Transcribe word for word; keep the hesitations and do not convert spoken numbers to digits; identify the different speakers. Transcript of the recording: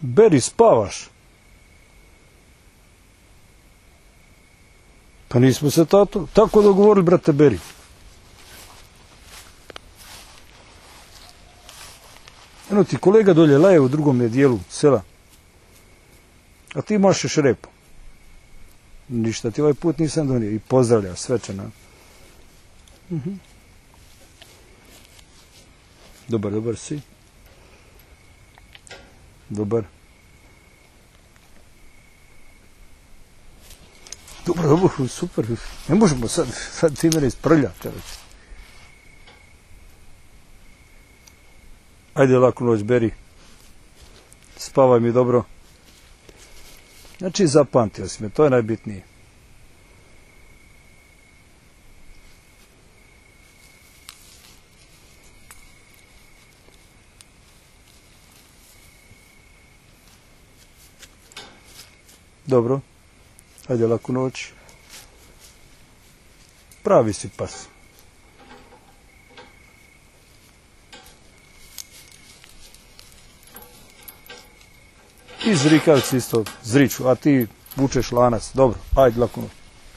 Speaker 1: Beri, spavaš? Pa nismo se tato tako dogovorili, brate Beri. Eno ti kolega dolje laje u drugom dijelu sela. A ti mašeš repu. Ništa ti ovaj put nisam donio. I pozdravlja svečana. Uh-huh. Dobar, dobar si. Dobar. Dobro, dobro, super. Ne možemo sad, sad ti mene isprljati, čovječ. Ajde, laku noć, Beri. Spavaj mi dobro. Znači, zapamtio si me, to je najbitnije. Dobro. Ajde, laku noć. Pravi si pas. I zrikavci isto zriču, a ti vučeš lanac. Dobro, ajde, laku noć.